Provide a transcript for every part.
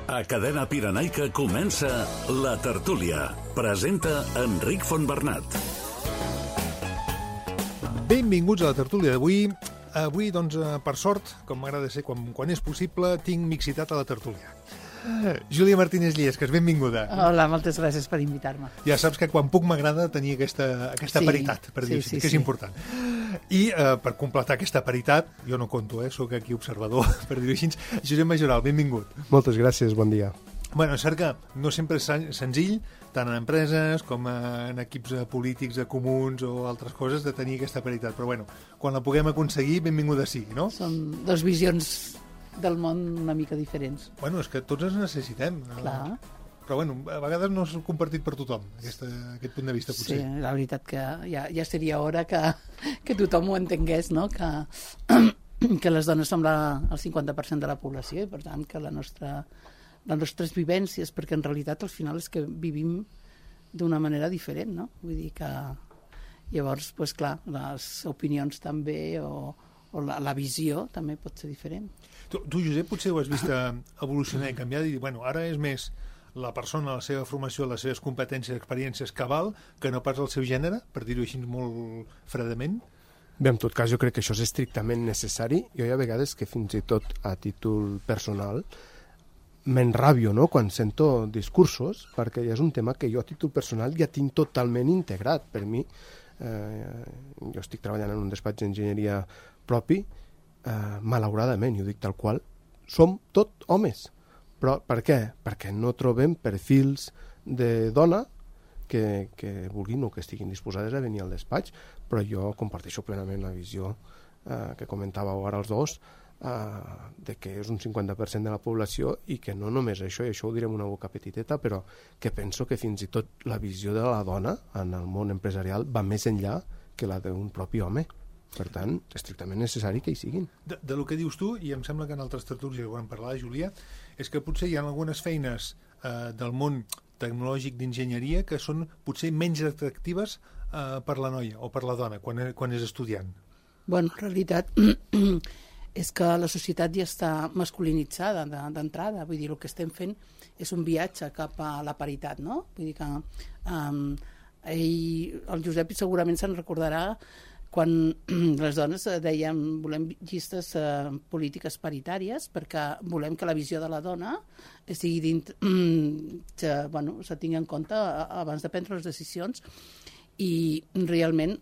A Cadena Pirenaica comença La Tertúlia. Presenta Enric Fontbernat. Benvinguts a La Tertúlia d'avui. Avui, doncs, per sort, com m'agrada ser quan és possible, tinc mixitat a La Tertúlia. Júlia Martínez Lliesques, benvinguda. Hola, moltes gràcies per invitar-me. Ja saps que quan puc m'agrada tenir aquesta paritat, per dir-ho així, que és important. I per completar aquesta paritat, jo no conto, sóc aquí observador, per dir-ho així, Josep Majoral, benvingut. Moltes gràcies, bon dia. Bueno, és cert que no sempre és senzill, tant en empreses com en equips polítics, comuns o altres coses, de tenir aquesta paritat. Però bueno, quan la puguem aconseguir, benvinguda sigui, no? Són dues visions del món una mica diferents. Bueno, és que tots ens necessitem. Clar. Però bueno, a vegades no és compartit per tothom, aquest punt de vista, potser. Sí, la veritat que ja seria hora que tothom ho entengués, no? Que les dones som el 50% de la població i, per tant, que les nostres vivències, perquè en realitat al final és que vivim d'una manera diferent, no? Vull dir que llavors, doncs clar, les opinions també o la visió també pot ser diferent. Tu, Josep, potser ho has vist evolucionar i canviar i dir, bueno, ara és més la persona, la seva formació, les seves competències, experiències que val, que no pas el seu gènere, per dir-ho així molt fredament? Bé, en tot cas, jo crec que això és estrictament necessari. Jo hi ha vegades que fins i tot a títol personal m'enrabio, no?, quan sento discursos, perquè ja és un tema que jo a títol personal ja tinc totalment integrat. Per mi, jo estic treballant en un despatx d'enginyeria propi, malauradament, i ho dic tal qual, som tot homes. Però per què? Perquè no trobem perfils de dona que vulguin o que estiguin disposades a venir al despatx, però jo comparteixo plenament la visió que comentàveu ara els dos, de que és un 50% de la població i que no només això, i això ho direm una boca petiteta, però que penso que fins i tot la visió de la dona en el món empresarial va més enllà que la d'un propi home. Per tant, estrictament necessari que hi siguin. De lo que dius tu, i em sembla que en altres tertúlies ho vam parlar, Júlia, és que potser hi ha algunes feines del món tecnològic d'enginyeria que són potser menys atractives per la noia o per la dona quan és estudiant. Bueno, en realitat és que la societat ja està masculinitzada d'entrada. Vull dir, el que estem fent és un viatge cap a la paritat, no? Vull dir que el Josep segurament se'n recordarà quan les dones dèiem volem llistes polítiques paritàries perquè volem que la visió de la dona s'tingui en compte abans de prendre les decisions, i realment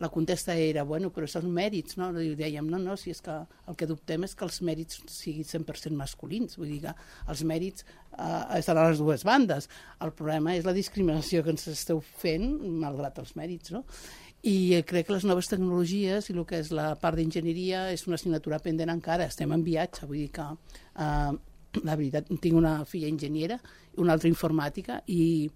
la contesta era, però són mèrits, no? I dèiem, no, si és que el que dubtem és que els mèrits siguin 100% masculins, vull dir que els mèrits estan a les dues bandes. El problema és la discriminació que ens esteu fent malgrat els mèrits, no? I crec que les noves tecnologies i el que és la part d'enginyeria és una assignatura pendent encara, estem en viatge, vull dir que la veritat, tinc una filla enginyera i una altra informàtica, i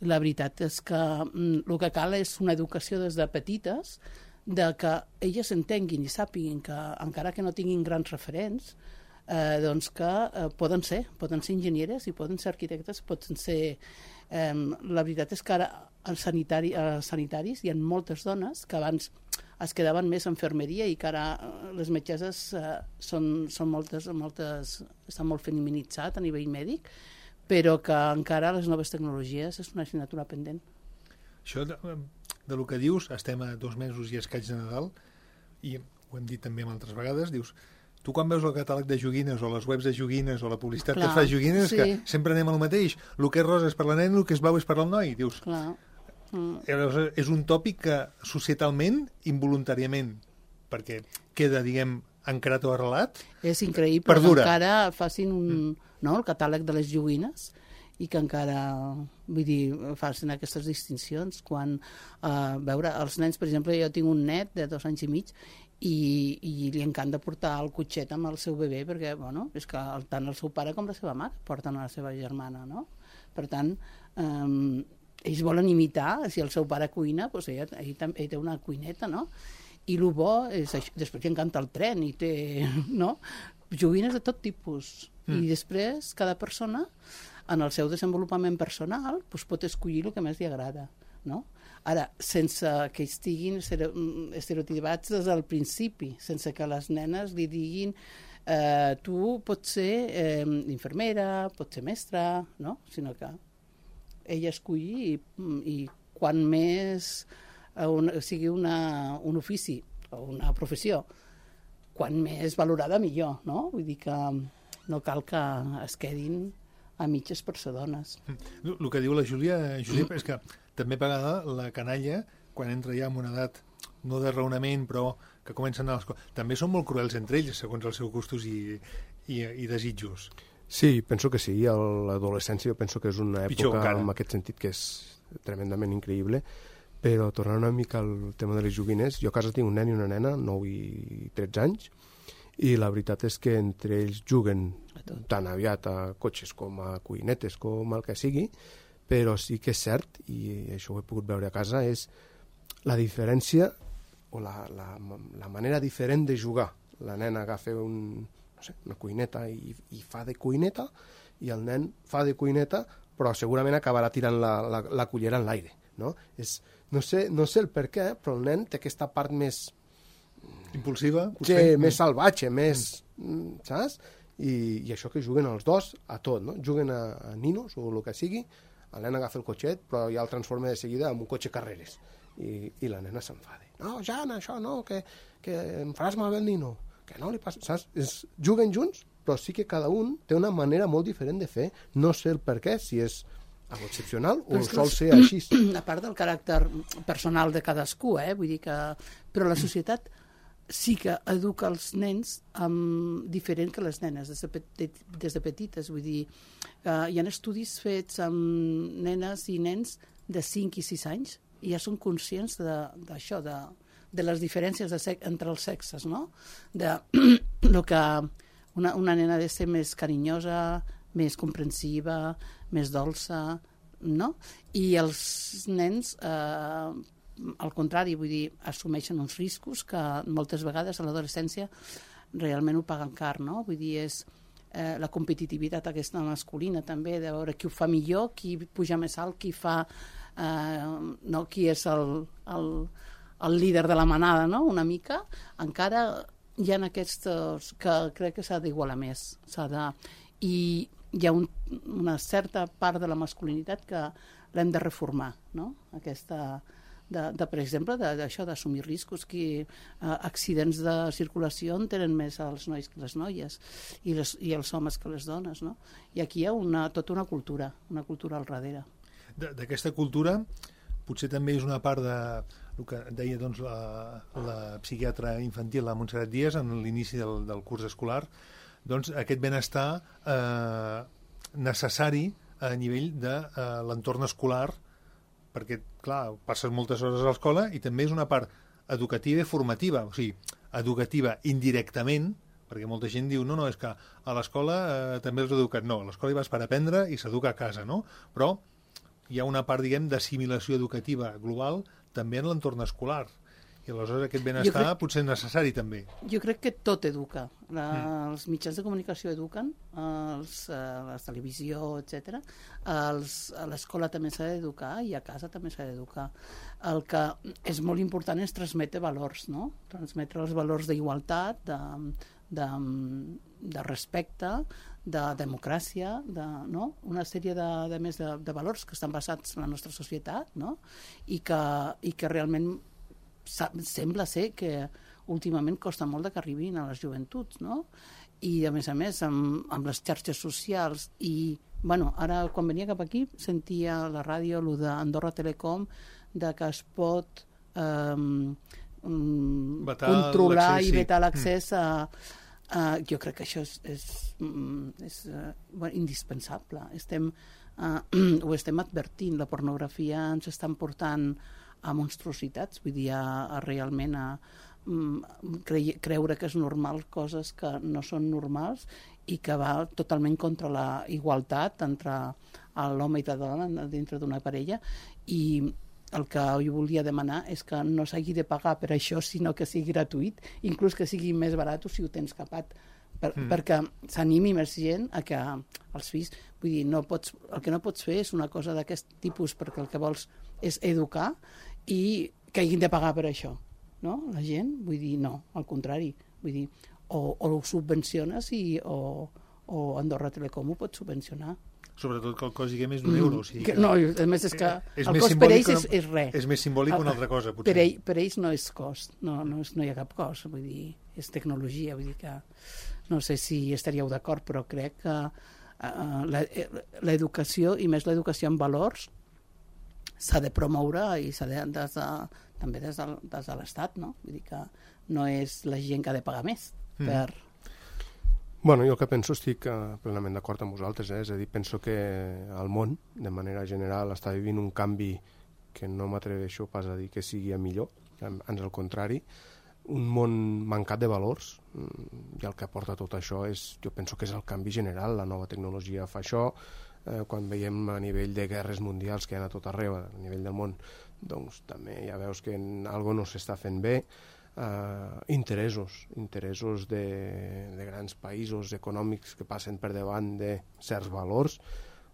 la veritat és que el que cal és una educació des de petites, de que elles entenguin i sàpiguin que encara que no tinguin grans referents, doncs que poden ser enginyeres i poden ser arquitectes, poden ser... La veritat és que ara als sanitaris hi ha moltes dones que abans es quedaven més a infermeria i que ara les metgesses són moltes, estan molt feminitzat a nivell mèdic, però que encara les noves tecnologies és una assignatura pendent. Això de lo que dius, estem a 2 mesos i escaig de Nadal, i ho hem dit també altres vegades, dius, tu quan veus el catàleg de joguines o les webs de joguines o la publicitat que fa joguines, sí, que sempre anem al mateix, el que és rosa és per la nena, el que és blau és per al noi, dius. És un tòpic que societalment, involuntàriament, perquè queda, diguem, encarat o arrelat, és increïble perdura. Que encara facin el catàleg de les joguines i que encara, vull dir, facin aquestes distincions quan, veure, els nens, per exemple, jo tinc un net de 2 anys i mig i li encanta portar el cotxet amb el seu bebè perquè, és que tant el seu pare com la seva mare porten a la seva germana, no? Per tant, ells volen imitar, si el seu pare cuina, doncs ell té una cuineta, no? I el bo és això. Després li encanta el tren i té, no? Joguines de tot tipus. I després cada persona en el seu desenvolupament personal pot escollir el que més li agrada, no? Ara, sense que estiguin estereotipats des del principi, sense que les nenes li diguin tu pots ser infermera, pots ser mestra, no? Sinó que ella escolli i quan més sigui un ofici o una professió, quan més valorada millor, no? Vull dir que no cal que es quedin a mitges per ser dones. El que diu la Júlia, Josep, és que també a vegades la canalla, quan entra ja en una edat no de raonament, però que comencen a l'escola, també són molt cruels entre ells, segons els seus gustos i desitjos. Sí, penso que sí. L'adolescència jo penso que és una època en aquest sentit que és tremendament increïble, però tornant una mica al tema de les joguines, jo a casa tinc un nen i una nena, 9 i 13 anys, i la veritat és que entre ells juguen tan aviat a cotxes com a cuinetes, com el que sigui, però sí que és cert, i això ho he pogut veure a casa, és la diferència o la manera diferent de jugar. La nena agafa una cuineta i fa de cuineta, i el nen fa de cuineta, però segurament acabarà tirant la cullera en l'aire. No? No sé el per què, però el nen té aquesta part més impulsiva, més salvatge, més, saps? I això que juguen els dos a tot, no? Juguen a ninos o el que sigui, el nen agafa el cotxet, però ja el transforma de seguida en un cotxe carreres, i la nena s'enfada. No, Jan, això no, que em faràs malbé el nino, que no li passa, saps? Juguen junts, però sí que cada un té una manera molt diferent de fer, no sé el per què, si és algo excepcional o sol ser així. A part del caràcter personal de cadascú, vull dir que... Però la societat sí que educa els nens diferent que les nenes des de petites. Vull dir, hi ha estudis fets amb nenes i nens de 5 i 6 anys i ja són conscients d'això, de les diferències entre els sexes, no? De lo que una nena ha de ser més carinyosa, més comprensiva, més dolça, no? I els nens, al contrari, vull dir, assumeixen uns riscos que moltes vegades a l'adolescència realment ho paguen car, no? Vull dir, és la competitivitat aquesta masculina també, de veure qui ho fa millor, qui puja més alt, qui fa... no, qui és el líder de la manada, no? Una mica, encara hi ha aquests que crec que s'ha d'igualar més, i hi ha una certa part de la masculinitat que l'hem de reformar, no? Aquesta, per exemple, d'això, d'assumir riscos, que accidents de circulació en tenen més els nois que les noies i els homes que les dones, no? I aquí hi ha tota una cultura al darrere. D'aquesta cultura potser també és una part del que deia doncs, la psiquiatra infantil, la Montserrat Díaz, en l'inici del curs escolar, doncs aquest benestar necessari a nivell de l'entorn escolar, perquè, clar, passes moltes hores a l'escola i també és una part educativa i formativa, o sigui, educativa indirectament, perquè molta gent diu, no, és que a l'escola també els educat. No, a l'escola hi vas per aprendre i s'educa a casa, no? Però hi ha una part, diguem, d'assimilació educativa global també en l'entorn escolar. I aleshores aquest benestar potser és necessari també. Jo crec que tot educa. Els mitjans de comunicació eduquen, la televisió, etc. A l'escola també s'ha d'educar i a casa també s'ha d'educar. El que és molt important és transmetre valors, no? Transmetre els valors d'igualtat, de respecte, de democràcia, no? Una sèrie de valors que estan basats en la nostra societat, no? I que realment sembla ser que últimament costa molt que arribin a les joventuts, no? I a més, amb les xarxes socials i, bueno, ara quan venia cap aquí sentia a la ràdio el d'Andorra Telecom de que es pot controlar i vetar l'accés a... jo crec que això és indispensable. Ho estem advertint, la pornografia ens estan portant a monstruositats, vull dir, realment a creure que és normal coses que no són normals i que va totalment contra la igualtat entre l'home i la dona dintre d'una parella. I el que jo volia demanar és que no s'hagi de pagar per això, sinó que sigui gratuït, inclús que sigui més barat si ho tens capat, perquè s'animi més gent a que els fills... Vull dir, el que no pots fer és una cosa d'aquest tipus perquè el que vols és educar i que hagin de pagar per això, no? La gent, vull dir, no, al contrari. Vull dir, ho subvenciones o Andorra Telecom ho pot subvencionar. Sobretot que el cost sigui més d'1 euro. O sigui No, a més és que és el més cost per ells simbòlic és res. És més simbòlic que una altra cosa, potser. Per ells no és cost, no hi ha cap cost, vull dir, és tecnologia, vull dir que no sé si estaríeu d'acord, però crec que l'educació, i més l'educació en valors, s'ha de promoure i s'ha de, també des de l'Estat, no? Vull dir que no és la gent que ha de pagar més per... Bueno, jo el que penso estic plenament d'acord amb vosaltres, és a dir, penso que el món, de manera general, està vivint un canvi que no m'atreveixo pas a dir que sigui a millor, ans al contrari, un món mancat de valors, i el que porta tot això jo penso que és el canvi general, la nova tecnologia fa això, quan veiem a nivell de guerres mundials que hi ha a tot arreu, a nivell del món, doncs també ja veus que algo no s'està fent bé, interessos de grans països econòmics que passen per davant de certs valors.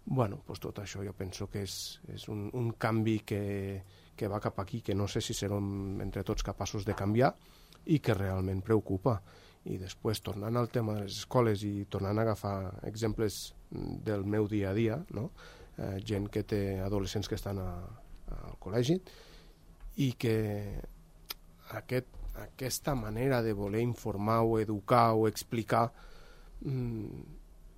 Bueno, doncs tot això jo penso que és un canvi que va cap aquí, que no sé si serem entre tots capaços de canviar i que realment preocupa. I després, tornant al tema de les escoles i tornant a agafar exemples del meu dia a dia, no? Gent que té adolescents que estan al col·legi i que aquesta manera de voler informar o educar o explicar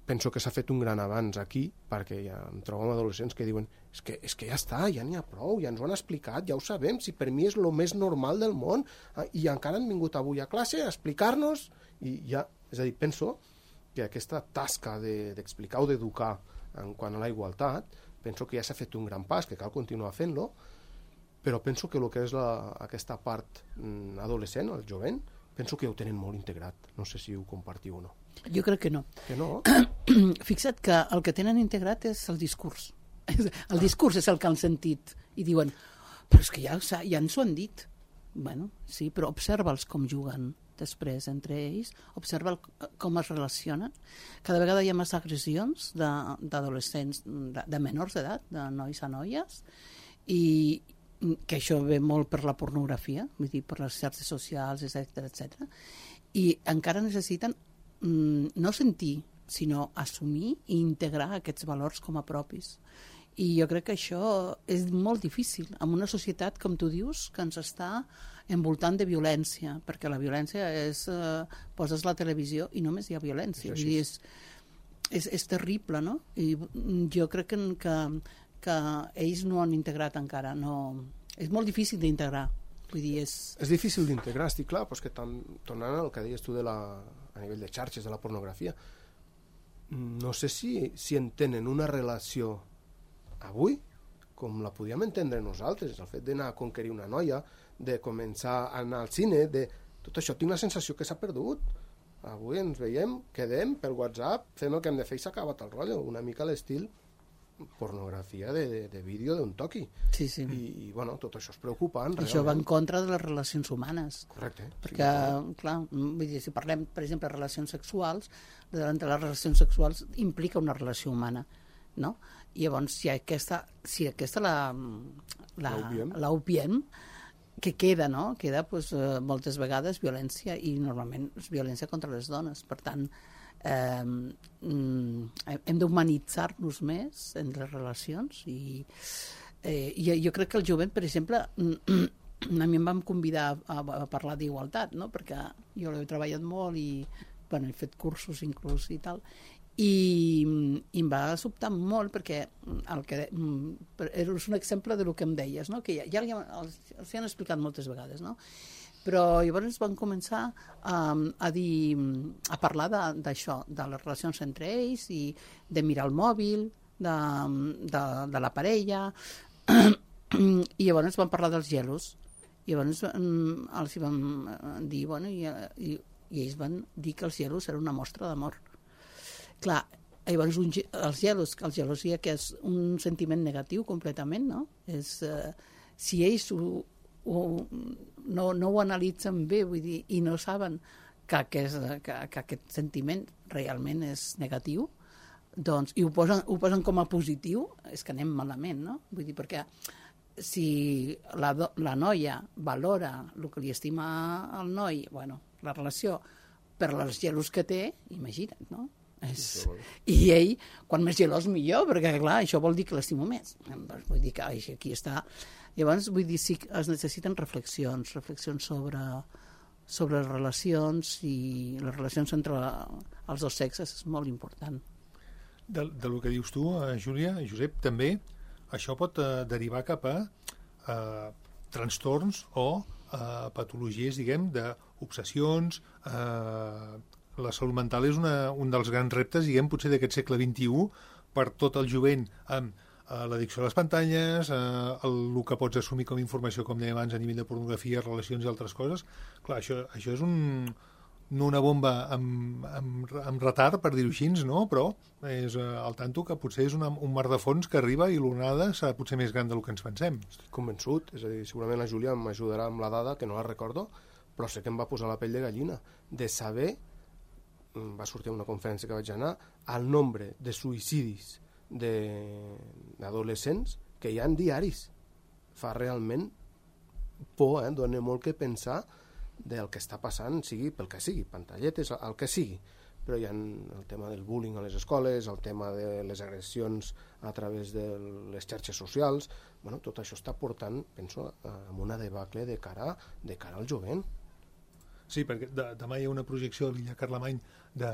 penso que s'ha fet un gran avanç aquí, perquè ja em trobo amb adolescents que diuen és que ja està, ja n'hi ha prou, ja ens ho han explicat, ja ho sabem, si per mi és el més normal del món, i encara han vingut avui a classe a explicar-nos, i ja, és a dir, penso que aquesta tasca d'explicar o d'educar en quant a la igualtat, penso que ja s'ha fet un gran pas, que cal continuar fent-lo, però penso que el que és aquesta part adolescent, el jovent, penso que ho tenen molt integrat. No sé si ho compartiu o no. Jo crec que no. Que no? Fixa't que el que tenen integrat és el discurs. El discurs és el que han sentit. I diuen, però és que ja ens ho han dit. Bueno, sí, però observa'ls com juguen després entre ells, observa com es relacionen. Cada vegada hi ha més agressions d'adolescents, de menors d'edat, de nois a noies, i que això ve molt per la pornografia, vull dir, per les xarxes socials, etc. I encara necessiten no sentir, sinó assumir i integrar aquests valors com a propis. I jo crec que això és molt difícil en una societat, com tu dius, que ens està envoltant de violència, perquè la violència és... poses la televisió i només hi ha violència. Vull dir, és terrible, no? I jo crec que ells no han integrat encara, no... És molt difícil d'integrar, vull dir, És difícil d'integrar, estic clar, però és que tornant al que deies tu a nivell de xarxes, de la pornografia, no sé si entenen una relació avui com la podíem entendre nosaltres, el fet d'anar a conquerir una noia, de començar a anar al cine, tot això tinc la sensació que s'ha perdut. Avui ens veiem, quedem per WhatsApp, fem el que hem de fer i s'ha acabat el rotllo, una mica a l'estil pornografia de vídeo d'un toqui. Sí. I bueno, tot això és preocupant. Això va en contra de les relacions humanes. Correcte. Perquè, clar, vull dir, si parlem, per exemple, de relacions sexuals, davant de les relacions sexuals implica una relació humana, no? I llavors, si aquesta l'obviem, que queda, no? Queda, doncs, moltes vegades violència, i normalment és violència contra les dones. Per tant, hem d'humanitzar-nos més en les relacions i jo crec que el jovent, per exemple, a mi em van convidar a parlar d'igualtat, no? Perquè jo l'he treballat molt i bueno, he fet cursos inclús i tal, i em va sobtar molt perquè és un exemple del que em deies, no? Que ja els han explicat moltes vegades, no? Però llavors van començar a parlar d'això, de les relacions entre ells i de mirar el mòbil, de la parella, i llavors van parlar dels gelos. I llavors els van dir, bueno, i ells van dir que els gelos eren una mostra d'amor. Clar, llavors els gelosia, que és un sentiment negatiu completament, no? Si ells no ho analitzen bé, vull dir, i no saben que aquest sentiment realment és negatiu, doncs, i ho posen com a positiu, és que anem malament, no? Vull dir, perquè si la noia valora el que li estima al noi, bueno, la relació, per les gelos que té, imagina't, no? I ell, quan més gelós millor, perquè clar, això vol dir que l'estimo més. Vull dir que aquí està. Llavors, vull dir, sí que es necessiten reflexions sobre les relacions, i les relacions entre els dos sexes és molt important. Del que dius tu, Júlia, Josep, també això pot derivar cap a trastorns o patologies, diguem, d'obsessions. La salut mental és un dels grans reptes, diguem, potser d'aquest segle XXI, per tot el jovent, amb l'addicció a les pantalles, el que pots assumir com a informació, com dèiem abans, a nivell de pornografia, relacions i altres coses. Clar, això és no una bomba amb retard, per dir-ho així, no? Però és al tanto que potser és un mar de fons que arriba i l'onada serà potser més gran del que ens pensem. Estic convençut, és a dir, segurament la Júlia m'ajudarà amb la dada, que no la recordo, però sé que em va posar la pell de gallina, de saber, va sortir a una conferència que vaig anar, el nombre de suïcidis d'adolescents que hi ha diaris. Fa realment por, dona molt que pensar del que està passant, sigui pel que sigui, pantalletes, el que sigui. Però hi ha el tema del bullying a les escoles, el tema de les agressions a través de les xarxes socials. Bueno, tot això està portant, penso, a una debacle de cara al jovent. Sí, perquè demà hi ha una projecció a l'illa Carlemany de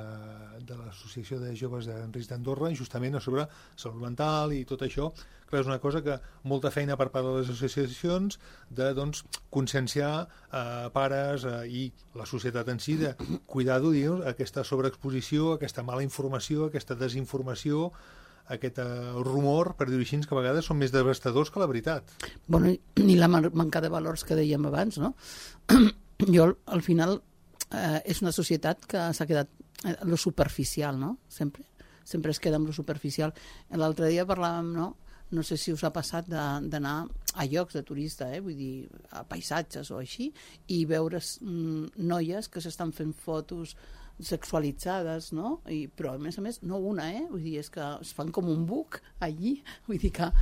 l'Associació de Joves de Risc d'Andorra, justament sobre salut mental i tot això. Clar, és una cosa que molta feina per part de les associacions de, doncs, conscienciar pares i la societat en si de cuidar-ho, aquesta sobreexposició, aquesta mala informació, aquesta desinformació, aquest rumor, per dir-ho així, que a vegades són més devastadors que la veritat. Bueno, ni la manca de valors que dèiem abans, no? Jo, al final, és una societat que s'ha quedat en lo superficial, no? Sempre es queda en lo superficial. L'altre dia parlàvem, no sé si us ha passat d'anar a llocs de turista, vull dir, a paisatges o així, i veure noies que s'estan fent fotos sexualitzades, no? Però a més, no una, vull dir, és que es fan com un buc allí, vull dir que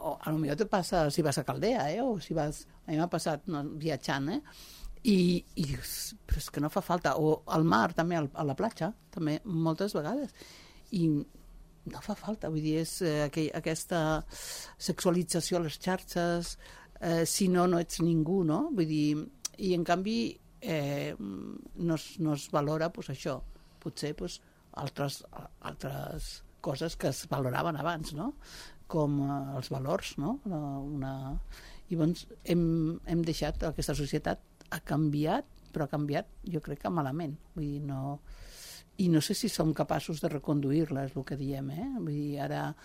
o a lo millor te passa si vas a Caldea, o si vas, a mi m'ha passat viatjant, i dius, però és que no fa falta, o al mar també, a la platja també, moltes vegades, i no fa falta, vull dir, és aquesta sexualització a les xarxes, si no ets ningú, no? Vull dir, i en canvi no es valora, doncs això, potser altres coses que es valoraven abans, no? Com els valors, no? I doncs hem deixat, aquesta societat ha canviat, però ha canviat jo crec que malament, vull dir, no, i no sé si som capaços de reconduir-la, és el que diem, vull dir, ara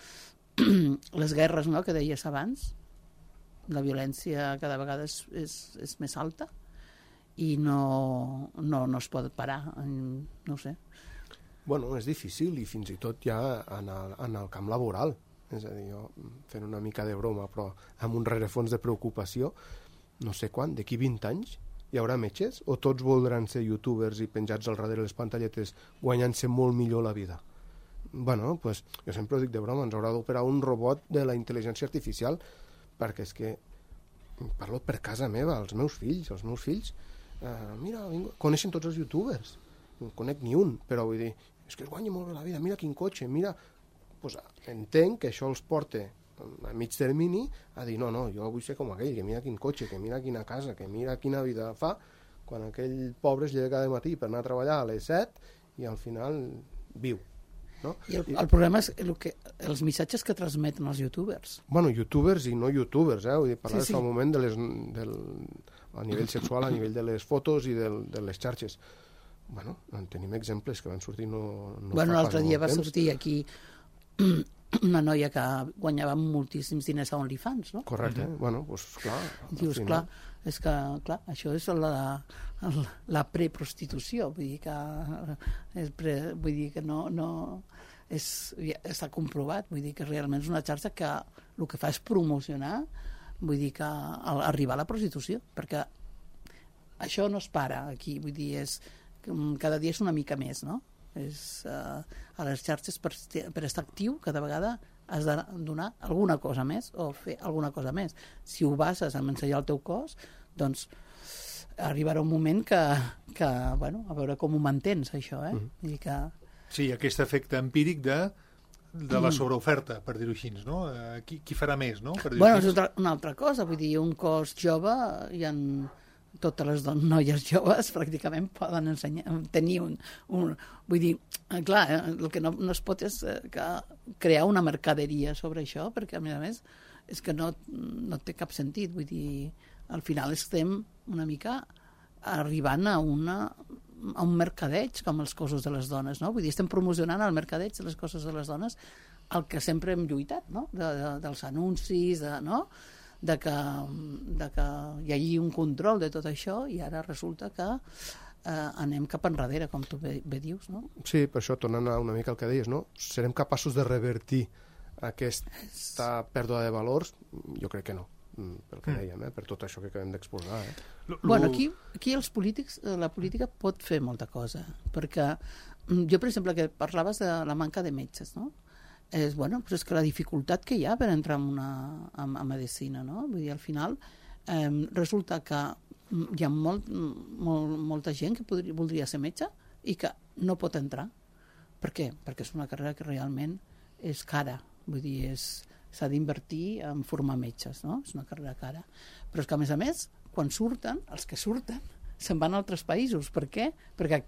les guerres, no?, que deies abans, la violència cada vegada és més alta i no es pot parar, no ho sé. Bueno, és difícil, i fins i tot ja en el camp laboral, és a dir, jo fent una mica de broma, però amb un rerefons de preocupació, no sé quan, d'aquí 20 anys hi haurà metges o tots voldran ser youtubers i penjats al darrere les pantalletes guanyant-se molt millor la vida? Bueno, pues, jo sempre ho dic de broma, ens haurà d'operar un robot de la intel·ligència artificial, perquè és que parlo per casa meva, els meus fills mira, coneixen tots els youtubers, no conec ni un, però vull dir, és que es guanya molt bé la vida, mira quin cotxe, mira, pues, entenc que això els porta a mig termini a dir, no, jo vull ser com aquell, que mira quin cotxe, que mira quina casa, que mira quina vida fa, quan aquell pobre es lleva cada matí per anar a treballar a les 7 i al final viu, no? I el problema és els missatges que transmeten els youtubers. Bueno, youtubers i no youtubers, vull dir, parlar fa un moment a nivell sexual, a nivell de les fotos i de les xarxes. Bueno, en tenim exemples que van sortir bueno, l'altre dia va sortir aquí una noia que guanyava moltíssims diners a OnlyFans, no? Correcte, bueno, doncs clar. Dius, clar, és que, clar, això és la preprostitució, vull dir que no està comprovat, vull dir que realment és una xarxa que el que fa és promocionar, vull dir que arribar a la prostitució, perquè això no es para aquí, vull dir, cada dia és una mica més, no? A les xarxes per estar actiu cada vegada has de donar alguna cosa més o fer alguna cosa més. Si ho bases en ensenyar el teu cos, doncs arribarà un moment que bueno, a veure com ho mantens, això, Vull dir que... Sí, aquest efecte empíric de la sobreoferta, per dir-ho així, no? Qui farà més, no? Bueno, és una altra cosa, vull dir, un cos jove, totes les noies joves pràcticament poden tenir vull dir, clar, el que no es pot és crear una mercaderia sobre això, perquè a més és que no té cap sentit, vull dir, al final estem una mica arribant a un mercadeig com els cossos de les dones, no? Vull dir, estem promocionant el mercadeig de les cossos de les dones, el que sempre hem lluitat, no? Dels anuncis, no? De que hi hagi un control de tot això, i ara resulta que anem cap enrere, com tu bé dius, no? Sí, per això, tornant una mica al que deies, no? Serem capaços de revertir aquesta pèrdua de valors? Jo crec que no, pel que dèiem, per tot això que acabem d'exposar. Bueno, aquí els polítics, la política pot fer molta cosa, perquè jo, per exemple, que parlaves de la manca de metges, no? És que la dificultat que hi ha per entrar a medicina, no? Vull dir, al final resulta que hi ha molta gent que voldria ser metge i que no pot entrar. Per què? Perquè és una carrera que realment és cara. Vull dir, s'ha d'invertir en formar metges, no? És una carrera cara. Però és que, a més, quan surten, els que surten, se'n van a altres països. Per què? Perquè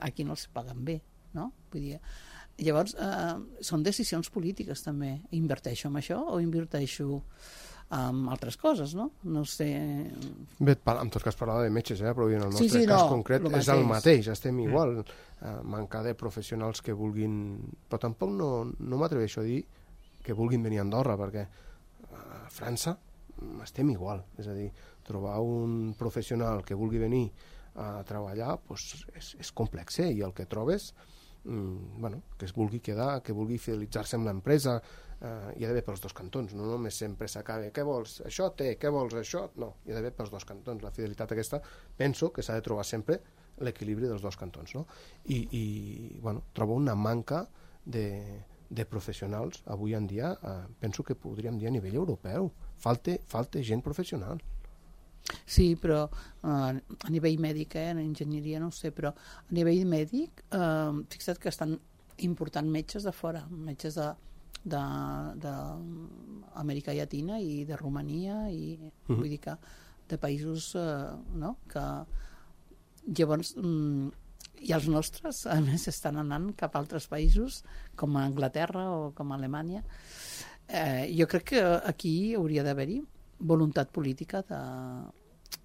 aquí no els paguen bé, no? Vull dir, llavors, són decisions polítiques també. Inverteixo en això o inverteixo en altres coses, no? No sé... Bé, en tot cas parlava de metges, però en el nostre cas concret és el mateix, estem igual. Manca de professionals que vulguin... Però tampoc no m'atreveixo a dir que vulguin venir a Andorra, perquè a França estem igual. És a dir, trobar un professional que vulgui venir a treballar és complex, i el que trobes... que es vulgui quedar, que vulgui fidelitzar-se amb l'empresa, hi ha d'haver pels dos cantons, no només sempre s'acaba què vols, això té, què vols, això, no, hi ha d'haver pels dos cantons. La fidelitat aquesta, penso que s'ha de trobar sempre l'equilibri dels dos cantons, no? I trobo una manca de professionals avui en dia, penso que podríem dir a nivell europeu, falta gent professional. Sí, però a nivell mèdic, en enginyeria no ho sé, però a nivell mèdic, fixa't que estan important metges de fora, metges d'Amèrica Llatina i de Romania, i vull dir que de països, no?, que llavors i els nostres, a més, estan anant cap a altres països, com a Anglaterra o com a Alemanya. Jo crec que aquí hauria d'haver-hi voluntat política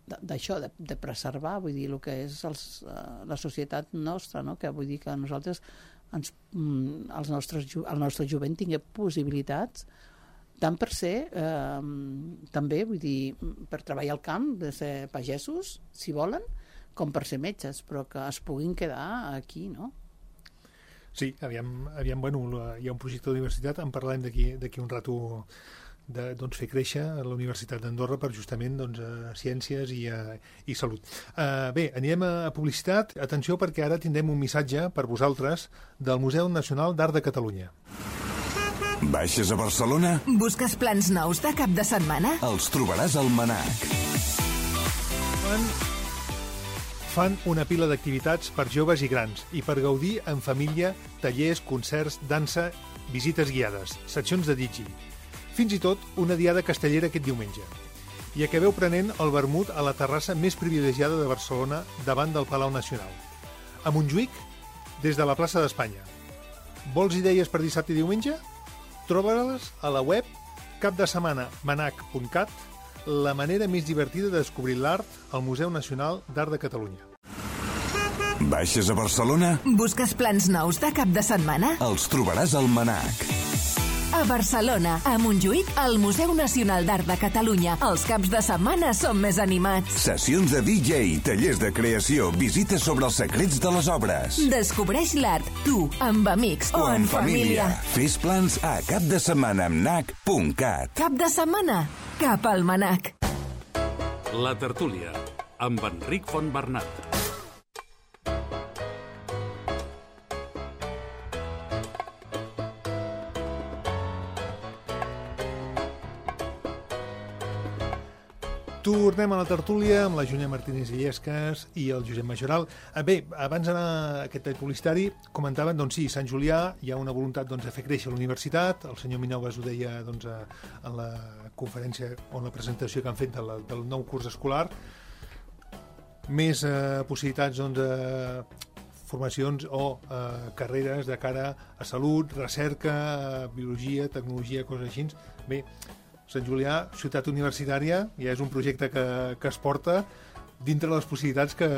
d'això, de preservar, vull dir, el que és la societat nostra, no? Que vull dir que nosaltres, el nostre jovent tingui possibilitats tant per ser, també, vull dir, per treballar al camp, de ser pagesos, si volen, com per ser metges, però que es puguin quedar aquí, no? Sí, aviam, bueno, hi ha un projecte d'universitat, en parlarem d'aquí un rato, de fer créixer la Universitat d'Andorra per justament ciències i salut. Bé, anirem a publicitat. Atenció, perquè ara tindrem un missatge per vosaltres del Museu Nacional d'Art de Catalunya. Baixes a Barcelona? Busques plans nous de cap de setmana? Els trobaràs al MNAC. Fan una pila d'activitats per joves i grans i per gaudir en família, tallers, concerts, dansa, visites guiades, seccions de digi. Fins i tot una diada castellera aquest diumenge. I acabeu prenent el vermut a la terrassa més privilegiada de Barcelona davant del Palau Nacional. A Montjuïc, des de la plaça d'Espanya. Vols idees per dissabte i diumenge? Troba-les a la web capdesetmanamanac.cat, la manera més divertida de descobrir l'art al Museu Nacional d'Art de Catalunya. Baixes a Barcelona? Busques plans nous de cap de setmana? Els trobaràs al MNAC. A Barcelona, a Montjuïc, al Museu Nacional d'Art de Catalunya. Els caps de setmana són més animats. Sessions de DJ, tallers de creació, visites sobre els secrets de les obres. Descobreix l'art, tu, amb amics o en família. Fes plans a capdesetmanamnac.cat. Cap de setmana, cap al MNAC. La tertúlia, amb Enric Fontbernat. Tornem a la tertúlia amb la Júlia Martínez Illescas i el Josep Majoral. Bé, abans d'anar a aquest tall publicitari, comentaven, doncs sí, Sant Julià hi ha una voluntat de fer créixer la universitat. El senyor Minoves ho deia en la conferència o en la presentació que han fet del nou curs escolar. Més possibilitats formacions o carreres de cara a salut, recerca, biologia, tecnologia, coses així. Bé, Sant Julià, ciutat universitària, ja és un projecte que es porta dintre les possibilitats que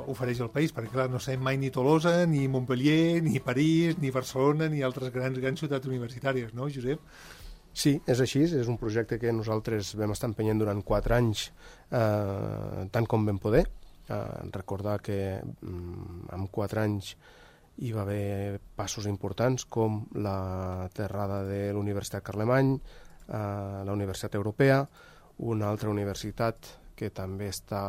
ofereix el país, perquè clar, no sabem mai ni Tolosa, ni Montpellier, ni París, ni Barcelona, ni altres grans ciutats universitàries, no, Josep? Sí, és així, és un projecte que nosaltres vam estar empenyent durant 4 anys, tant com vam poder. Recordar que en 4 anys hi va haver passos importants com l'aterrada de l'Universitat Carlemany, la Universitat Europea, una altra universitat que també està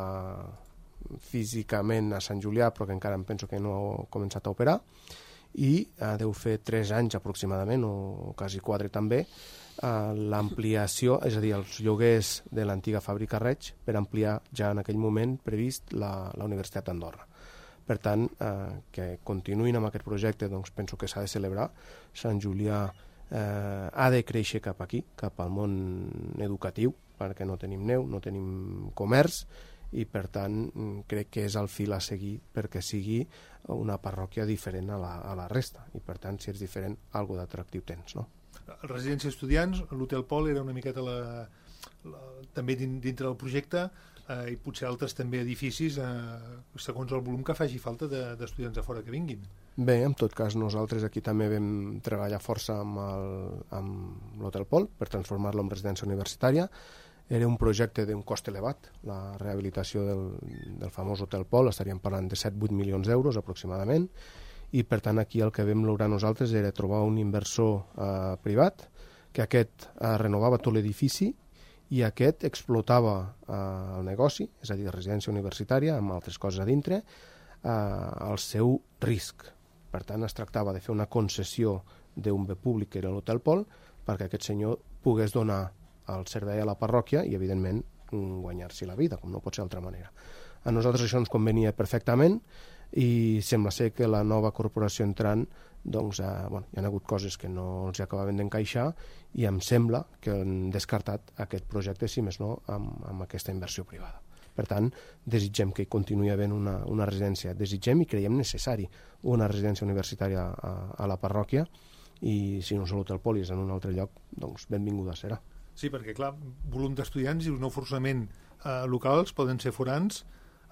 físicament a Sant Julià però que encara em penso que no ha començat a operar, i deu fer 3 anys aproximadament, o quasi 4 també, l'ampliació, és a dir, els lloguers de l'antiga fàbrica Reig per ampliar ja en aquell moment previst la Universitat d'Andorra. Per tant, que continuïn amb aquest projecte, doncs penso que s'ha de celebrar. Sant Julià ha de créixer cap aquí, cap al món educatiu, perquè no tenim neu, no tenim comerç, i per tant crec que és el fil a seguir perquè sigui una parròquia diferent a la resta, i per tant si és diferent, alguna d'atractiu tens, no? Residència d'estudiants, l'Hotel Pol era una miqueta també dintre del projecte, i potser altres també edificis segons el volum que faci falta d'estudiants de fora que vinguin. Bé, en tot cas nosaltres aquí també vam treballar força amb l'Hotel Pol per transformar-lo en residència universitària. Era un projecte d'un cost elevat, la rehabilitació del famós Hotel Pol, estaríem parlant de 7-8 milions d'euros aproximadament, i per tant aquí el que vam lograr nosaltres era trobar un inversor privat, que aquest renovava tot l'edifici i aquest explotava el negoci, és a dir, residència universitària, amb altres coses a dintre, al seu risc. Per tant, es tractava de fer una concessió d'un bé públic, que era l'Hotel Pol, perquè aquest senyor pogués donar el servei a la parròquia i, evidentment, guanyar-s'hi la vida, com no pot ser d'altra manera. A nosaltres això ens convenia perfectament i sembla ser que la nova corporació entrant, doncs, hi ha hagut coses que no els acabaven d'encaixar i em sembla que han descartat aquest projecte, si més no, amb aquesta inversió privada. Per tant, desitgem que hi continuï havent una residència. Desitgem i creiem necessari una residència universitària a la parròquia, i si no és l'Hotel Pol i és en un altre lloc, doncs benvinguda serà. Sí, perquè clar, volum d'estudiants i no forçament locals poden ser forans,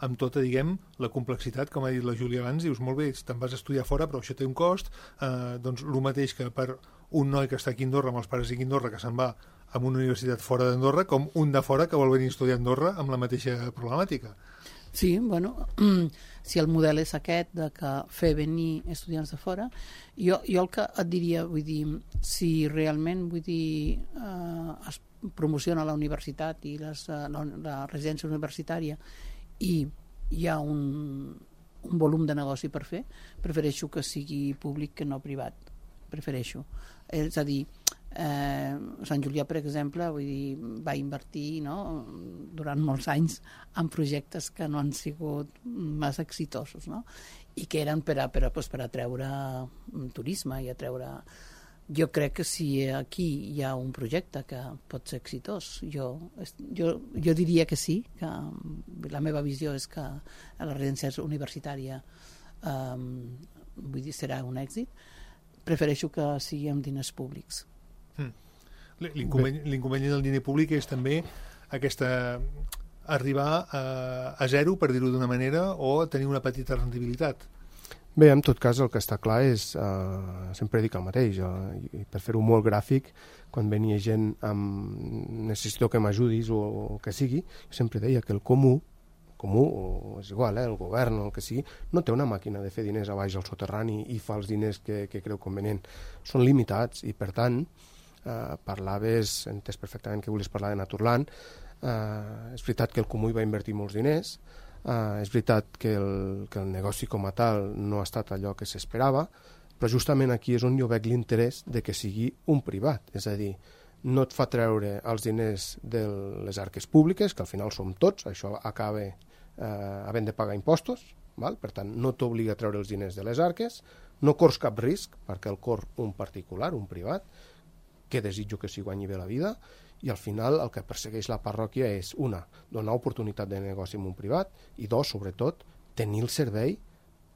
amb tota, diguem, la complexitat, com ha dit la Júlia abans, dius, molt bé, te'n vas a estudiar fora, però això té un cost, doncs el mateix que per un noi que està aquí a Andorra, amb els pares aquí a Andorra, que se'n va a una universitat fora d'Andorra, com un de fora que vol venir a estudiar a Andorra amb la mateixa problemàtica. Sí, bueno, si el model és aquest, de que fer venir estudiants de fora, jo el que et diria, vull dir, si realment, vull dir, es promociona la universitat i la residència universitària i hi ha un volum de negoci per fer, prefereixo que sigui públic que no privat, prefereixo. És a dir, Sant Julià, per exemple, vull dir, va invertir, no, durant molts anys en projectes que no han sigut massa exitosos, no? I que eren per atreure turisme i atreure... Jo crec que si aquí hi ha un projecte que pot ser exitós, jo diria que sí, que la meva visió és que la residència universitària vull dir, serà un èxit. Prefereixo que sigui amb diners públics. L'inconvenient del diner públic és també arribar a zero, per dir-ho d'una manera, o tenir una petita rendibilitat. Bé, en tot cas, el que està clar és, sempre dic el mateix, i per fer-ho molt gràfic, quan venia gent amb necessito que m'ajudis o que sigui, sempre deia que el comú, o és igual, el govern o el que sigui, no té una màquina de fer diners a baix al soterrani i fa els diners que creu convenient. Són limitats i, per tant, parlaves, entès perfectament que volies parlar de Naturland, és veritat que el comú hi va invertir molts diners, és veritat que el negoci com a tal no ha estat allò que s'esperava, però justament aquí és on jo veig l'interès de que sigui un privat, és a dir, no et fa treure els diners de les arques públiques, que al final som tots, això acaba havent de pagar impostos, val? Per tant, no t'obliga a treure els diners de les arques, no corres cap risc, perquè el cor un particular, un privat, que desitjo que s'hi guanyi bé la vida, i al final el que persegueix la parròquia és, una, donar oportunitat de negoci en un privat, i dos, sobretot, tenir el servei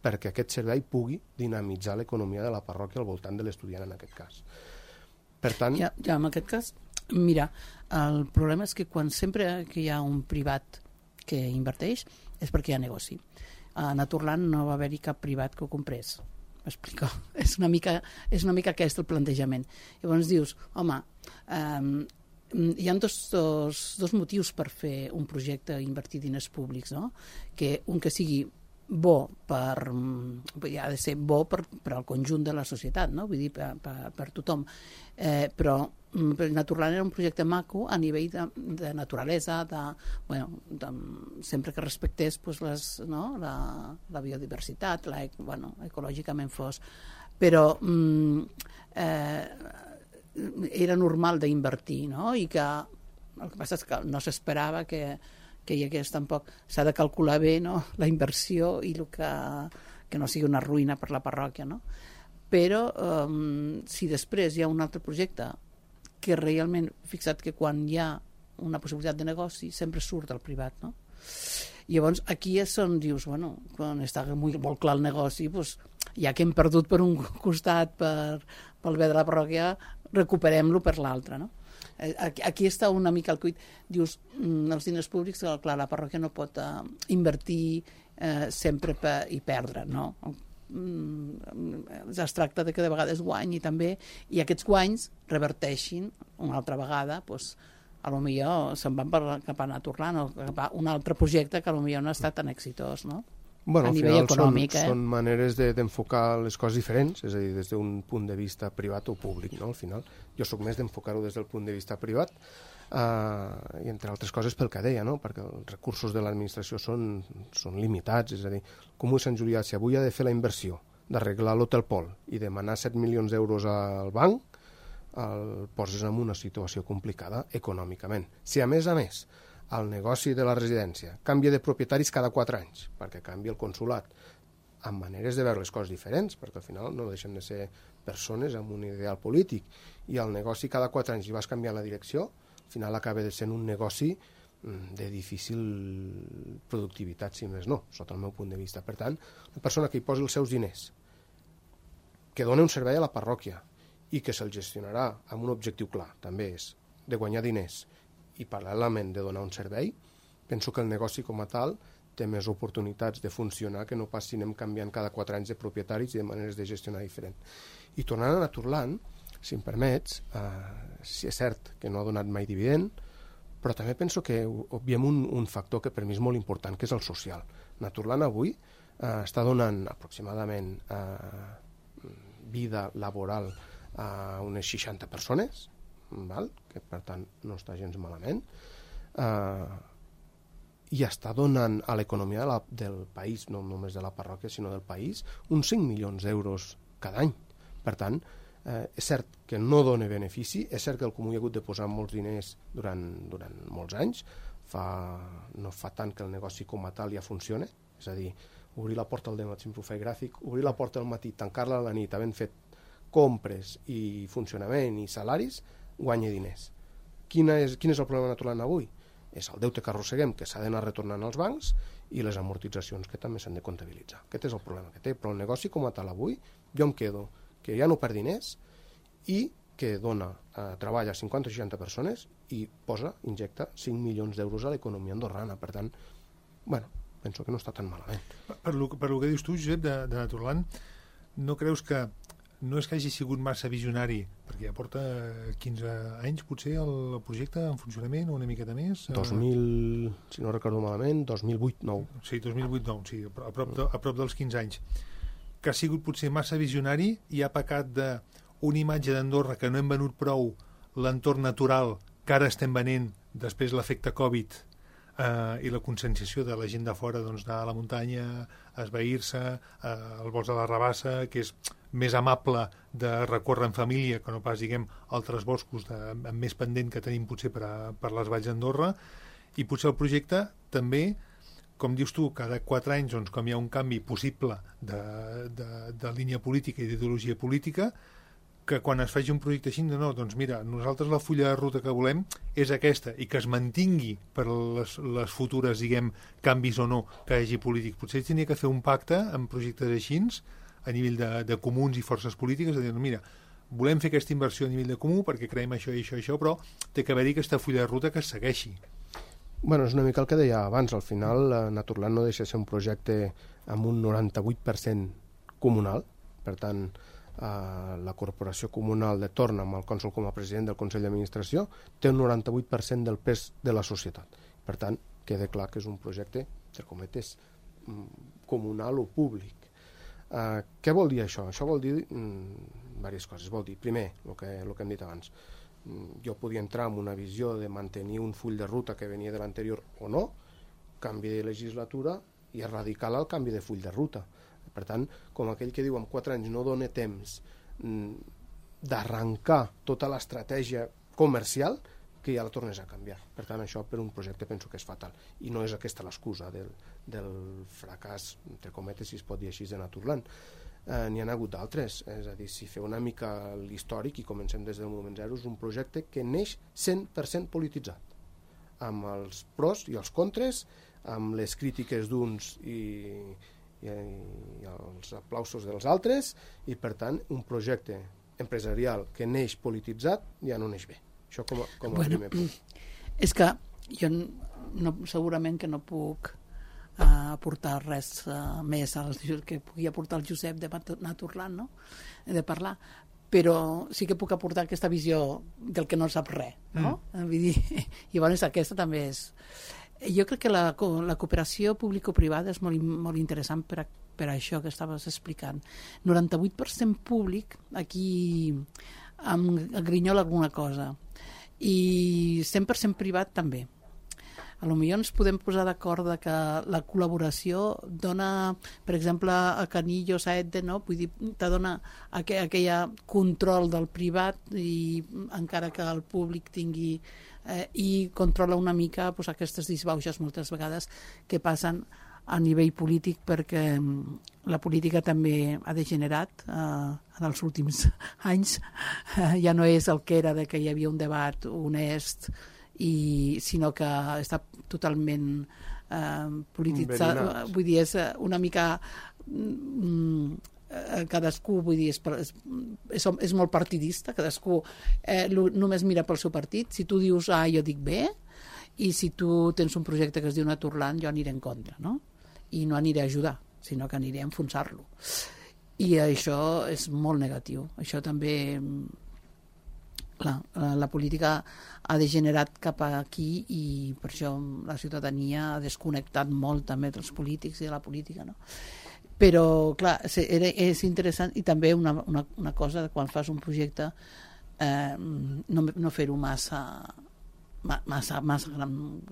perquè aquest servei pugui dinamitzar l'economia de la parròquia al voltant de l'estudiant en aquest cas. Per tant... Ja, en aquest cas, mira, el problema és que sempre que hi ha un privat que inverteix és perquè hi ha negoci. A Naturland no va haver-hi cap privat que ho comprés. M'explico? És una mica aquest el plantejament. Llavors dius, home, hi ha dos motius per fer un projecte i invertir diners públics, no? Que un que sigui bo ha de ser bo per al conjunt de la societat, no? Vull dir, per tothom. Però Naturland era un projecte maco a nivell de naturalesa, sempre que respectés la biodiversitat, ecològicament fos. Però era normal d'invertir, no? I que el que passa és que no s'esperava que hi hagués tampoc... S'ha de calcular bé, no?, la inversió i que no sigui una ruïna per la parròquia, no? Però si després hi ha un altre projecte que realment, fixa't que quan hi ha una possibilitat de negoci sempre surt del privat, no? Llavors aquí és on dius, quan està molt clar el negoci, ja que hem perdut per un costat pel bé de la parròquia, recuperem-lo per l'altre, no? Aquí està una mica el cuit. Dius, els diners públics, clar, la parròquia no pot invertir sempre i perdre, no? Es tracta de que de vegades guanyi també, i aquests guanys reverteixin una altra vegada, a lo millor se'n van cap a Naturland o cap a un altre projecte que a lo millor no ha estat tan exitós, no? Bueno, a nivell econòmic. Són maneres d'enfocar les coses diferents, és a dir, des d'un punt de vista privat o públic, no? Al final, jo sóc més d'enfocar-ho des del punt de vista privat, i entre altres coses pel que deia, no? Perquè els recursos de l'administració són limitats, és a dir, com ho Sant Julià, si avui ha de fer la inversió d'arreglar l'Hotel Pol i demanar 7 milions d'euros al banc, el poses en una situació complicada econòmicament. Si a més, el negoci de la residència canvia de propietaris cada 4 anys, perquè canvia el consulat, amb maneres de veure les coses diferents, perquè al final no deixen de ser persones amb un ideal polític, i el negoci cada 4 anys i vas canviant la direcció, al final acaba sent un negoci de difícil productivitat, si més no, sota el meu punt de vista. Per tant, la persona que hi posi els seus diners, que dona un servei a la parròquia i que se'l gestionarà amb un objectiu clar, també és de guanyar diners i paral·lelament de donar un servei, penso que el negoci com a tal té més oportunitats de funcionar que no pas si anem canviant cada 4 anys de propietaris i de maneres de gestionar diferent. I tornant a Naturland, si em permets, si és cert que no ha donat mai dividend, però també penso que obviem un factor que per mi és molt important, que és el social. Naturland avui està donant aproximadament vida laboral a unes 60 persones, que per tant no està gens malament, i està donant a l'economia del país, no només de la parròquia sinó del país, uns 5 milions d'euros cada any. Per tant, és cert que no dona benefici, és cert que el Comú hi ha hagut de posar molts diners durant molts anys, no fa tant que el negoci com a tal ja funciona, és a dir, obrir la porta al dematí, sempre ho faig gràfic, obrir la porta al matí, tancar-la a la nit, havent fet compres i funcionament i salaris, guanya diners. Quin és el problema Naturland avui? És el deute que arrosseguem, que s'ha d'anar retornant als bancs, i les amortitzacions que també s'han de comptabilitzar. Aquest és el problema que té, però el negoci com a tal avui, jo em quedo que ja no perd diners i que dona treball a 50 o 60 persones i injecta 5 milions d'euros a l'economia andorrana. Per tant, penso que no està tan malament. Per lo que dius tu, Josep, de Naturland, no creus que no és que hagi sigut massa visionari, perquè ja porta 15 anys potser el projecte en funcionament, o una miqueta més? 2000, si no recordo malament, 2008-9. Sí, 2008-9, sí, a prop dels 15 anys. Que ha sigut potser massa visionari i ha pecat d'una imatge d'Andorra que no hem venut prou l'entorn natural que ara estem venent després l'efecte Covid i la conscienciació de la gent de fora, doncs, anar a la muntanya, a esvair-se, el bosc de la Rabassa, que és més amable de recórrer en família que no pas, diguem, altres boscos amb més pendent que tenim potser per les valls d'Andorra, i potser el projecte també, com dius tu, cada 4 anys, doncs, com hi ha un canvi possible de línia política i d'ideologia política, que quan es faci un projecte així, no, doncs mira, nosaltres la fulla de ruta que volem és aquesta, i que es mantingui per les futures, diguem, canvis o no que hi hagi polític. Potser tenia que fer un pacte amb projectes així, a nivell de comuns i forces polítiques, de dir, mira, volem fer aquesta inversió a nivell de comú perquè creiem això i això i això, però té que haver-hi aquesta fulla de ruta que es segueixi. Bueno, és una mica el que deia abans. Al final, Naturland no deixa de ser un projecte amb un 98% comunal. Per tant, la corporació comunal de torn amb el cònsol com a president del Consell d'Administració té un 98% del pes de la societat. Per tant, queda clar que és un projecte, entre cometes, comunal o públic. Què vol dir això? Això vol dir diverses coses. Vol dir, primer, el que hem dit abans, jo podia entrar en una visió de mantenir un full de ruta que venia de l'anterior o no, canvi de legislatura i és radical el canvi de full de ruta. Per tant, com aquell que diu en 4 anys no dona temps d'arrencar tota l'estratègia comercial, que ja la tornes a canviar. Per tant, això per un projecte penso que és fatal. I no és aquesta l'excusa del fracàs, entre cometes, si es pot dir així, de Naturland. N'hi ha hagut d'altres. És a dir, si feu una mica l'històric i comencem des del moment zero, és un projecte que neix 100% polititzat, amb els pros i els contres, amb les crítiques d'uns i els aplausos dels altres, i per tant un projecte empresarial que neix polititzat ja no neix bé. Això com a primer punt. És que jo segurament que no puc aportar res més que pugui aportar el Josep de Naturland, no? De parlar, però sí que puc aportar aquesta visió del que no sap res, no? Vull dir, i llavors aquesta també és... Jo crec que la cooperació público-privada és molt interessant per això que estaves explicant. 98% públic, aquí em grinyola alguna cosa, i 100% privat també. A lo millor ens podem posar d'acord que la col·laboració dona, per exemple, a Canillo, Saedde, no? Vull dir, te dona aquell control del privat, i encara que el públic tingui i controla una mica aquestes disbauxes moltes vegades que passen a nivell polític, perquè la política també ha degenerat en els últims anys. Ja no és el que era de que hi havia un debat honest, sinó que està totalment polititzat. Vull dir, és una mica... cadascú, vull dir, és molt partidista, cadascú només mira pel seu partit. Si tu dius A, jo dic B, i si tu tens un projecte que es diu Naturland, jo aniré en contra, no? I no aniré a ajudar, sinó que aniré a enfonsar-lo. I això és molt negatiu. Això també... la política ha degenerat cap aquí, i per això la ciutadania ha desconnectat molt també dels polítics i de la política, no? Però, clar, és interessant, i també una cosa, quan fas un projecte, no fer-ho massa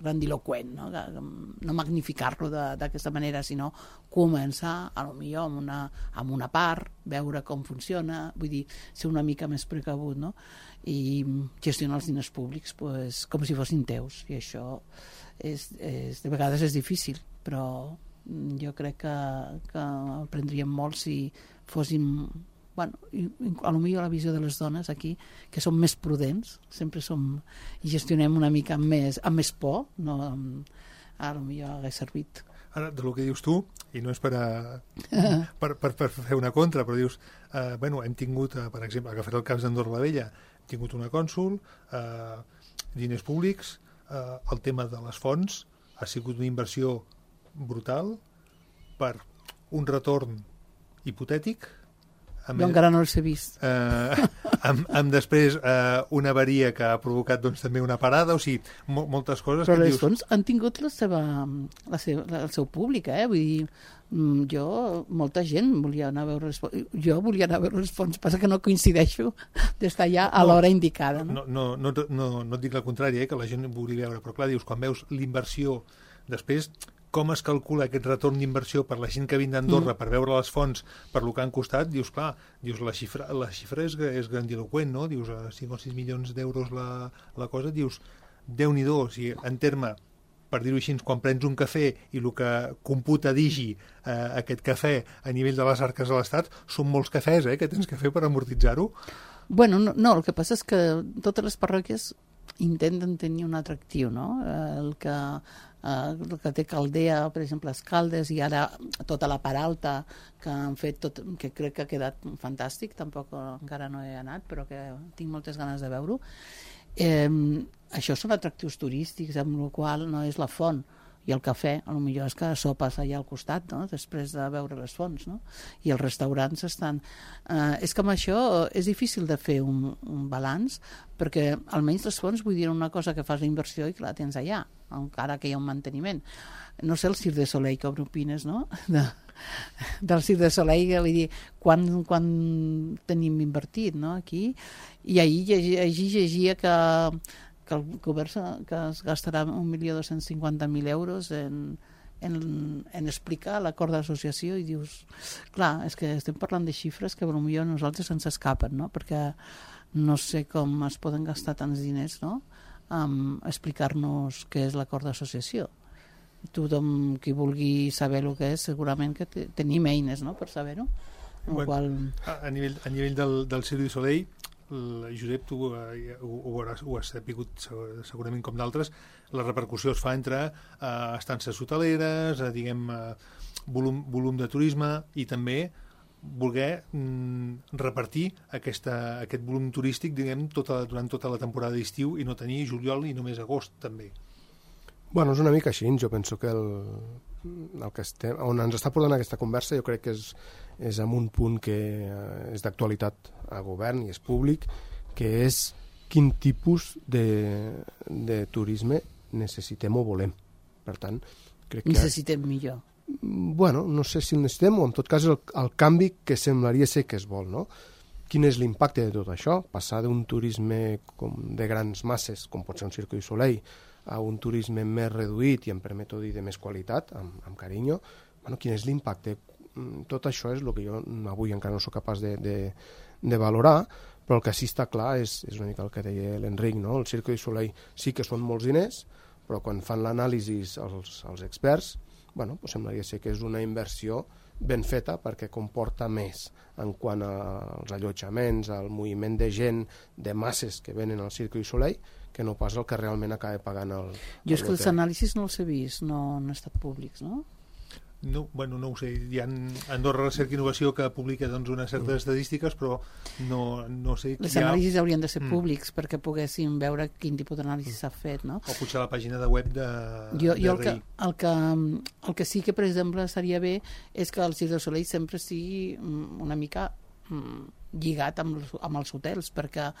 grandiloquent, no magnificar-lo d'aquesta manera, sinó començar, potser amb una part, veure com funciona, vull dir, ser una mica més precavut, no? I gestionar els diners públics com si fossin teus, i això de vegades és difícil, però jo crec que aprendríem molt si fóssim, a lo millor la visió de les dones aquí, que som més prudents, sempre som, i gestionem una mica amb més por, no? A lo millor hagués servit. Ara, del que dius tu, i no és per fer una contra, però dius, hem tingut, per exemple, agafar el cas d'Andorra la Vella, hem tingut una cònsol, diners públics, el tema de les fonts ha sigut una inversió brutal per un retorn hipotètic. Jo encara no els he vist. Amb després una avaria que ha provocat també una parada, o sigui, moltes coses. Però les fonts han tingut el seu públic, vull dir, molta gent volia anar a veure les fonts. Jo volia anar a veure les fonts, passa que no coincideixo d'estar allà a l'hora indicada. No et dic el contrari, que la gent volia veure, però clar, dius, quan veus l'inversió, després com es calcula aquest retorn d'inversió per la gent que vin d'Andorra per veure les fonts, per lo que han costat, dius, clar, la xifra és grandiloquent, no? Dius, 5 o 6 milions d'euros la cosa, dius, Déu-n'hi-do, o sigui, en terme, per dir-ho així, quan prens un cafè i el que computa Digi aquest cafè a nivell de les arques de l'Estat, són molts cafès que tens que fer per amortitzar-ho. Bueno, no, el que passa és que totes les parròquies intenten tenir un atractiu, no? El que té Caldea, per exemple, Escaldes, i ara tota la part alta que han fet, que crec que ha quedat fantàstic, tampoc encara no he anat, però que tinc moltes ganes de veure-ho. Això són atractius turístics, amb la qual no és la font i el cafè, potser és que sopes allà al costat, no? Després de veure les fonts, no? I els restaurants estan... és que amb això és difícil de fer un balanç, perquè almenys les fonts, vull dir, una cosa que fas d'inversió i que la tens allà, encara que hi ha un manteniment. No sé el Cirque du Soleil, com opines, no? Del Cirque du Soleil, vull dir, quan tenim invertit, no? Aquí, i ahir llegia que el govern que es gastarà 1.250.000 euros en explicar l'acord d'associació, i dius, clar, és que estem parlant de xifres que potser a nosaltres ens escapen, no? Perquè no sé com es poden gastar tants diners, no? Explicar-nos què és l'acord d'associació. Tothom qui vulgui saber el que és, segurament que tenim eines, no?, per saber-ho. A nivell del Cirque du Soleil, Josep, tu ho has sapigut segurament com d'altres, la repercussió es fa entre estances hoteleres, volum de turisme, i també voler repartir aquest volum turístic, durant tota la temporada d'estiu, i no tenir juliol i només agost, també. Bueno, és una mica així. Jo penso que on ens està portant aquesta conversa, jo crec que és en un punt que és d'actualitat a govern i és públic, que és quin tipus de turisme necessitem o volem. Per tant, crec que... Necessitem millor. Bueno, no sé si el necessitem, o en tot cas el canvi que semblaria ser que es vol, no? Quin és l'impacte de tot això? Passar d'un turisme de grans masses, com pot ser un Cirque du Soleil, a un turisme més reduït i, em permeto dir, de més qualitat, amb carinyo. Bueno, quin és l'impacte? Tot això és el que jo avui encara no soc capaç de valorar, però el que sí està clar és una mica el que deia l'Enric, no? El Cirque du Soleil sí que són molts diners, però quan fan l'anàlisi els experts, bueno, semblaria ser que és una inversió ben feta perquè comporta més en quant als allotjaments, al moviment de gent, de masses que venen al Cirque du Soleil, que no pas el que realment acaba pagant el Jo és que els anàlisis no els he vist, no han estat públics, no? No ho sé, hi ha Andorra Recerca i Innovació que publica unes certes estadístiques, però no sé... Les anàlisis haurien de ser públics perquè poguéssim veure quin tipus d'anàlisi s'ha fet, no? O potser la pàgina de web de el que sí que, per exemple, seria bé és que el Cirque du Soleil sempre sigui una mica lligat amb els hotels, perquè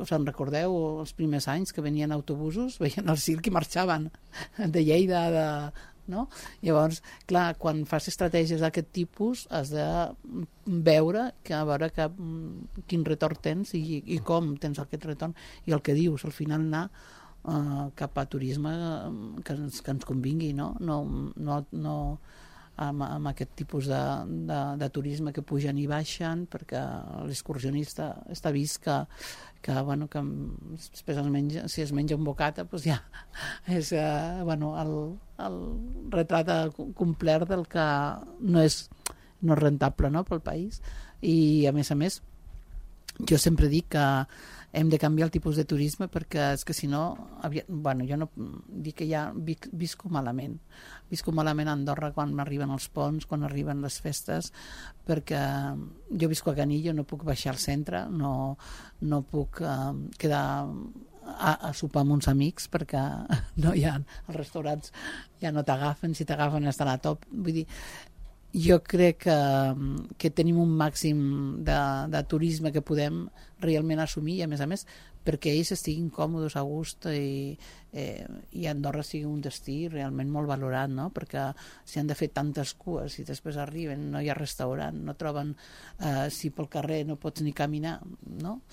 us en recordeu els primers anys que venien autobusos, veien el circ i marxaven de Lleida, no? Llavors, clar, quan fas estratègies d'aquest tipus has de veure quin retorn tens i com tens aquest retorn, i el que dius, al final anar cap a turisme que ens convingui, no amb aquest tipus de turisme que pugen i baixen, perquè l'excursionista està vist que després si es menja un bocata, doncs ja és el retrat complet del que no és rentable, no, pel país. I a més jo sempre dic que hem de canviar el tipus de turisme, perquè és que si no, jo no dic que ja visco malament a Andorra quan arriben els ponts, quan arriben les festes, perquè jo visco a Canillo, no puc baixar al centre, no puc quedar a sopar amb uns amics perquè no hi ha, els restaurants ja no t'agafen, si t'agafen estan a top, vull dir, jo crec que tenim un màxim de turisme que podem realment assumir, i a més perquè ells estiguin còmodes, a gust, i Andorra sigui un destí realment molt valorat, no? Perquè si han de fer tantes cues i després arriben, no hi ha restaurant, no troben, si pel carrer no pots ni caminar, no?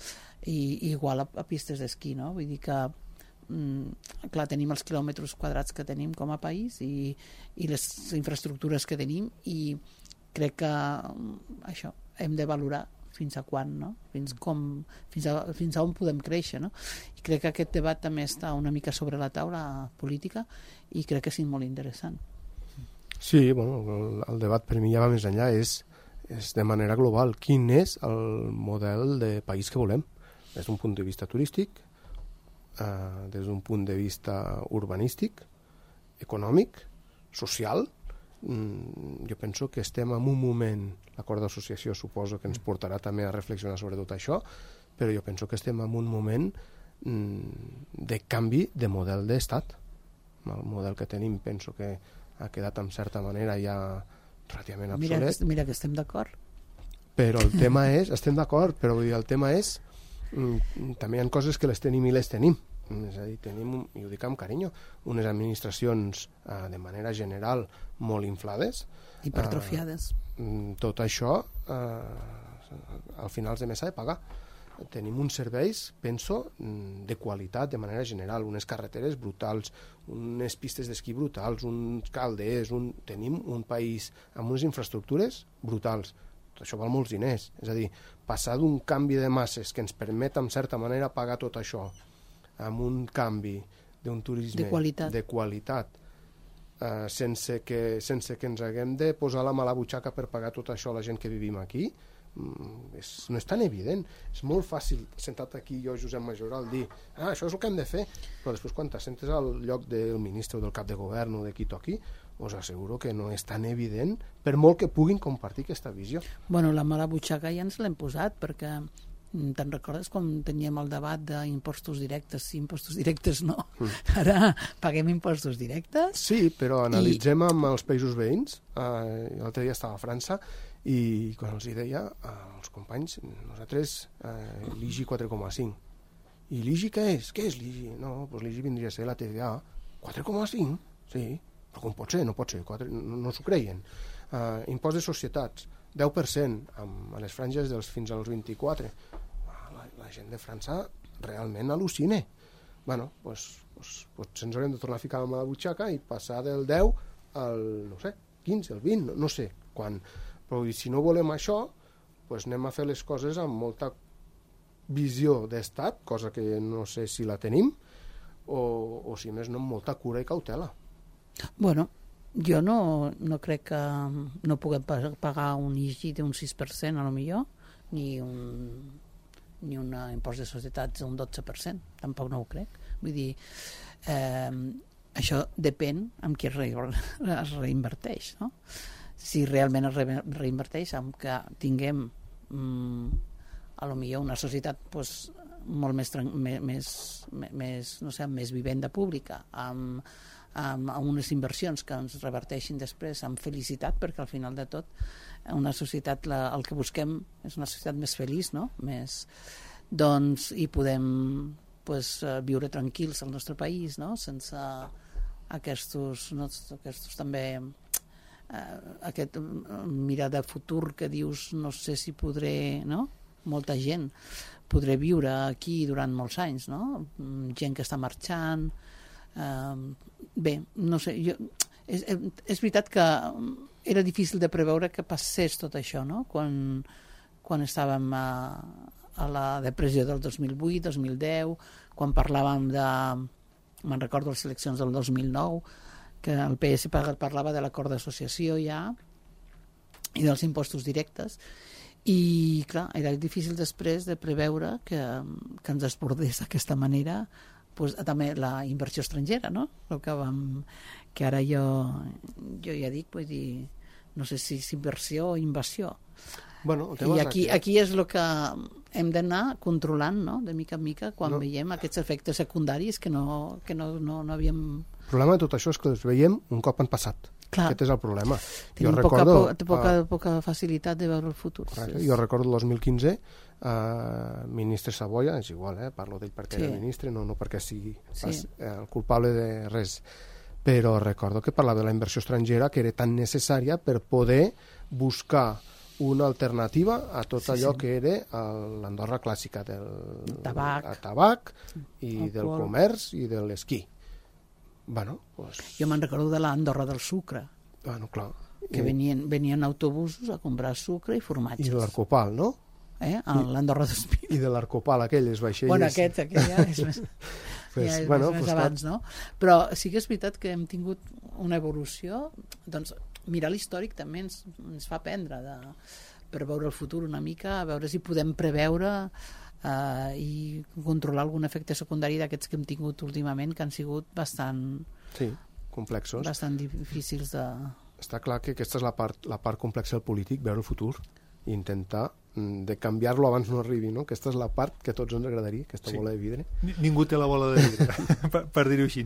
I igual a pistes d'esquí, no? Vull dir que clar, tenim els quilòmetres quadrats que tenim com a país i les infraestructures que tenim, i crec que això hem de valorar fins a quan, no? Fins a on podem créixer, no? I crec que aquest debat també està una mica sobre la taula política i crec que és molt interessant. Sí, bueno, el debat per mi ja va més enllà, és de manera global. Quin és el model de país que volem? Des d'un punt de vista turístic, des d'un punt de vista urbanístic, econòmic, social. Jo penso que estem en un moment, l'acord d'associació suposo que ens portarà també a reflexionar sobre tot això, però jo penso que estem en un moment de canvi de model d'estat. El model que tenim penso que ha quedat en certa manera ja relativament obsolet. Mira que estem d'acord. Però el tema és, estem d'acord, però vull dir, el tema és també hi ha coses que les tenim i les tenim. És a dir, tenim, i ho dic amb carinyo, unes administracions de manera general molt inflades. Hipertrofiades. Tot això al final de mes s'ha de pagar. Tenim uns serveis, penso, de qualitat de manera general, unes carreteres brutals, unes pistes d'esquí brutals, uns calders, tenim un país amb unes infraestructures brutals. Tot això val molts diners. És a dir, passar d'un canvi de masses que ens permet, en certa manera, pagar tot això amb un canvi d'un turisme de qualitat sense que ens haguem de posar la mà a la butxaca per pagar tot això a la gent que vivim aquí, no és tan evident. És molt fàcil, sentat aquí jo, Josep Majoral, dir això és el que hem de fer, però després quan t'assentes al lloc del ministre o del cap de govern o de qui toqui, us asseguro que no és tan evident, per molt que puguin compartir aquesta visió. Bueno, la mala butxaca ja ens l'hem posat, perquè te'n recordes quan teníem el debat d'impostos directes? Sí, impostos directes no. Ara paguem impostos directes. Sí, però analitzem amb els països veïns. L'altre dia estava a França i quan els deia als companys, nosaltres l'IGI 4,5. I l'IGI què és? Què és l'IGI? No, doncs l'IGI vindria a ser la TVA. 4,5? Sí, però com pot ser? No pot ser, no s'ho creien. Impost de societats, 10% a les franges fins als 24. La gent de França realment al·lucina. Bueno, potser ens haurem de tornar a ficar amb la butxaca i passar del 10 al, no sé, 15, al 20, no sé quan. Però si no volem això, anem a fer les coses amb molta visió d'estat, cosa que no sé si la tenim, o si més no, amb molta cura i cautela. Bueno, jo no crec que no puguem pagar un IGI d'un 6% a lo millor, ni un impost de societats d'un 12%, tampoc no ho crec. Vull dir, això depèn amb qui es reinverteix, no? Si realment es reinverteix amb que tinguem a lo millor una societat molt més vivenda pública, amb unes inversions que ens reverteixin després amb felicitat, perquè al final de tot una societat, el que busquem és una societat més feliç, no? Doncs, i podem viure tranquils al nostre país, no? Sense aquests també aquest mirar de futur que dius no sé si podré, no? Molta gent podré viure aquí durant molts anys, no? Gent que està marxant. Bé, no sé, és veritat que era difícil de preveure que passés tot això, no? Quan estàvem a la depressió del 2008, 2010, quan parlàvem me'n recordo les eleccions del 2009, que el PS parlava de l'acord d'associació ja i dels impostos directes, i clar, era difícil després de preveure que ens desbordés d'aquesta manera també la inversió estrangera, no? Que ara jo ja dic, vull dir, no sé si és inversió o invasió. Bueno, i aquí és el que hem d'anar controlant, no? De mica en mica, quan veiem aquests efectes secundaris que no havíem... El problema de tot això és que els veiem un cop han passat. Clar. Aquest és el problema. Tenim poca facilitat de veure el futur. Jo recordo el 2015, ministre Savoia, és igual, parlo d'ell perquè era ministre, no perquè sigui el culpable de res, però recordo que parlava de la inversió estrangera, que era tan necessària per poder buscar una alternativa a tot allò que era l'Andorra clàssica del tabac i del comerç i de l'esquí. Bueno, pues... Jo me'n recordo de l'Andorra del sucre. Bueno, clar. Que venien autobusos a comprar sucre i formatges. I de l'Arcopal, no? L'Andorra d'Espí. I de l'Arcopal, aquelles vaixelles... Bueno, aquest ja és més... ja és més abans, no? Però sí que és veritat que hem tingut una evolució, doncs mirar l'històric també ens fa aprendre per veure el futur una mica, a veure si podem preveure i controlar algun efecte secundari d'aquests que hem tingut últimament, que han sigut bastant... Sí, complexos. Bastant difícils de... Està clar que aquesta és la part complexa del polític, veure el futur i intentar de canviar-lo abans no arribi, no? Aquesta és la part que a tots ens agradaria, aquesta bola de vidre. Ningú té la bola de vidre, per dir-ho així.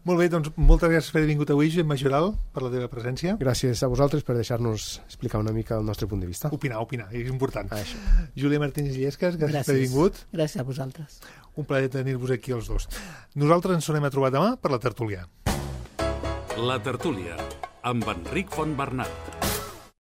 Molt bé, doncs moltes gràcies per haver vingut avui, Josep Majoral, per la teva presència. Gràcies a vosaltres per deixar-nos explicar una mica el nostre punt de vista. Opinar, és important. Júlia Martínez Illescas, gràcies per haver vingut. Gràcies a vosaltres. Un plaer tenir-vos aquí els dos. Nosaltres ens tornem a trobar demà per la tertúlia. La tertúlia, amb Enric Fontbernat.